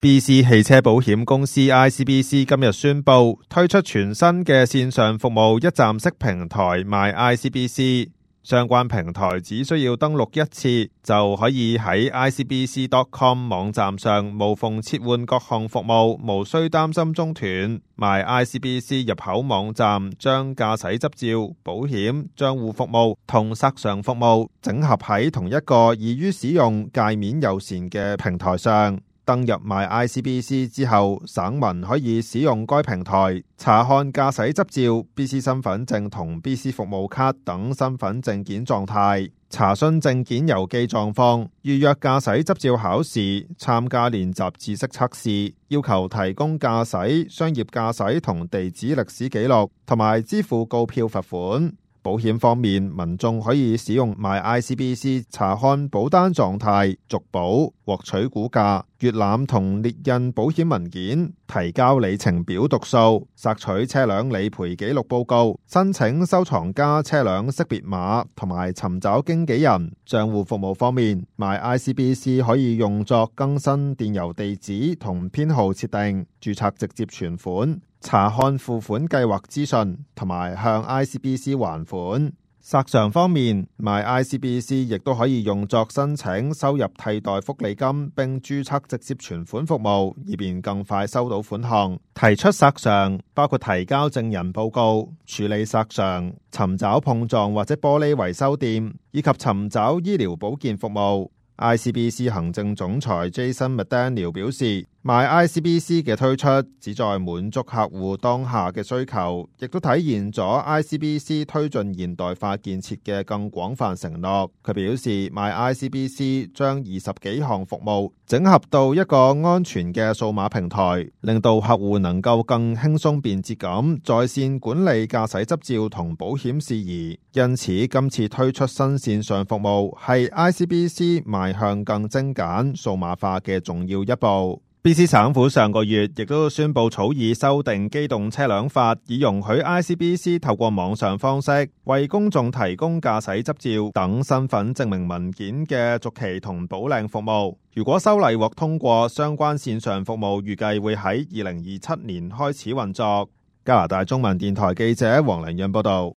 BC 汽車保險公司 ICBC 今日宣布推出全新嘅線上服務一站式平台 MyICBC， 相關平台只需要登錄一次就可以喺 icbc.com 網站上無縫切換各項服務，無需擔心中斷。MyICBC 入口網站將駕駛執照、保險、賬戶服務同索償服務整合喺同一個易於使用、界面友善嘅平台上。登入 MyICBC 之後，省民可以使用該平台查看駕駛執照、BC 身份證同 BC 服務卡等身份證件狀態，查詢證件郵寄狀況，預約駕駛執照考試，參加練習知識測試，要求提供駕駛、商業駕駛同地址歷史記錄，同埋支付告票罰款。保險方面，民眾可以使用 MyICBC 查看保單狀態、續保、獲取估價、閱覽同列印保險文件、提交里程表讀數、索取車輛理賠記錄報告、申請收藏家車輛識別碼同埋尋找經紀人。賬戶服務方面， MyICBC 可以用作更新電郵地址同編號設定、註冊直接存款、查看付款計劃資訊同埋向 ICBC 還款。索償方面， MyICBC 亦都可以用作申請收入替代福利金並註冊直接存款服務，以便更快收到款項。提出索償包括提交證人報告、處理索償、尋找碰撞或者玻璃維修店，以及尋找醫療保健服務。ICBC 行政總裁 Jason McDaniel 表示， MyICBC 嘅推出旨在滿足客戶當下嘅需求，亦都體現咗 ICBC 推進現代化建設嘅更廣泛承諾。佢表示， MyICBC 將20幾項服務整合到一個安全嘅數碼平台，令到客戶能夠更輕鬆便捷咁在線管理駕駛執照同保險事宜。因此，今次推出新線上服務係 ICBC 邁向更精簡數碼化嘅重要一步。BC 省府上個月亦都宣布草擬修訂機動車輛法，以容許 ICBC 透過網上方式為公眾提供駕駛執照等身份證明文件嘅續期同補領服務。如果修例獲通過，相關線上服務預計會喺2027年開始運作。加拿大中文電台記者黃良潤報道。